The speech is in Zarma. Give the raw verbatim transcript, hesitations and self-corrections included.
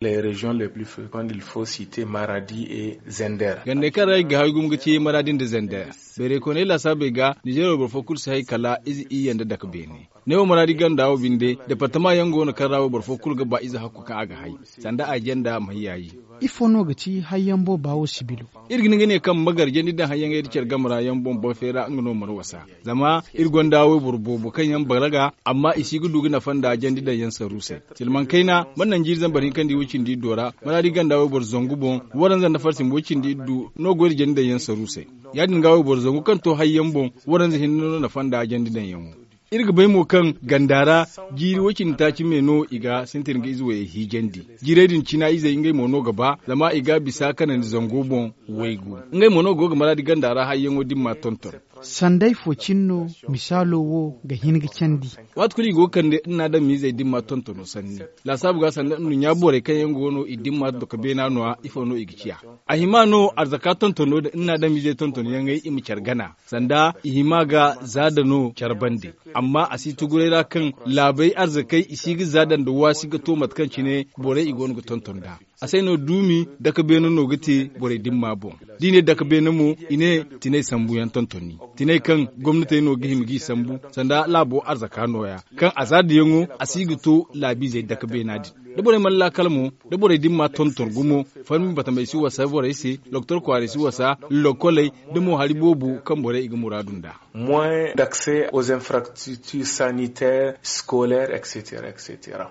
Les régions les plus fréquentes il faut citer maradi et zender. Gandey kaŋ ra i ga hay gumo ga ci maradi nda zender. Bayray koonay laasaabey ga nizeer wo boro fo kulu si hay kala ize iyye nda dake beene. Ne wo maradi ganda wo binde departama yaŋ go no kaŋ ra wo boro fo kulu ga ba ize hakku kaŋ a ga hay sanda a janda ma hay yaayi. Ifo no ga ci hayyaŋ booba wo sibilo? Iri ga ni ga ne kaŋ magar jandi daŋ hayyaŋey nda care game ra yaŋ boŋ boŋ feera nga no mana wasa. Zama iri gonda wayboro boobo kaŋ yaŋ baraga amma i si ga du ga nafa nda jandi daŋ yaŋ saru se. Silmaŋ kayna mana naŋ jiiri zambar hinkandi way-cindi iddo ra maradi ganda wayboro zangu boŋ. Waranza nda farsim way-cindi iddu no goy nda jandi daŋ yaŋ saru se. Ya- din ga wayboro zangu kaŋ to hayyaŋ boŋ waranza hinne no nafa nda jandi daŋ yaŋo. Iri ga bay mo kaŋ ganda ra jiiri way-cindi taaci me no i ga sintin ga ize wayey hiijandi. Jiirey din cina izey ngey mo no ga ba zama i ga bisa kanandi zango boŋ waygu. Ngey mo no go ga maradi ganda ra hayyaŋo dimma tonton. Sanday fo cine no misaalo wo ga hin ga candi. Waati kulu i go ga kande nna adamizey dimma tontono sanni. Laasaabu ga sanda nduɲɲa borey kaŋ yaŋ go no i dimma doka beena no- ya ifo no i ga ciya? A hima no arzaka tontono da nna adamizey tontonyaŋey i ma care gana sanda i hima ga za da no care bande. Amma a si tuguray ra kaŋ laabey arzakey i si ga za daŋ nda waasi ga to mate kaŋ cine borey i go no ga tonton nd'a. A se no duumi dake beene no ga te borey dimma boŋ. Da i ne dake beene mo i ne tinay sambuyaŋ tontoni, tinay kaŋ gomnatey no ga hima g'i sambu sanda laabo arzaka nooya kaŋ a za dayaŋo a si ga to laabiizey dake beena din. Da borey mana laakal mo da borey dimma tonton gumo, farmi batamey si wasa borey se, lokotor kwaarey si wasa, lokoley da mo hari boobo kaŋ borey i ga muraadu nd'a. Moins d'accès aux infrastructures sanitaires scolaires etc.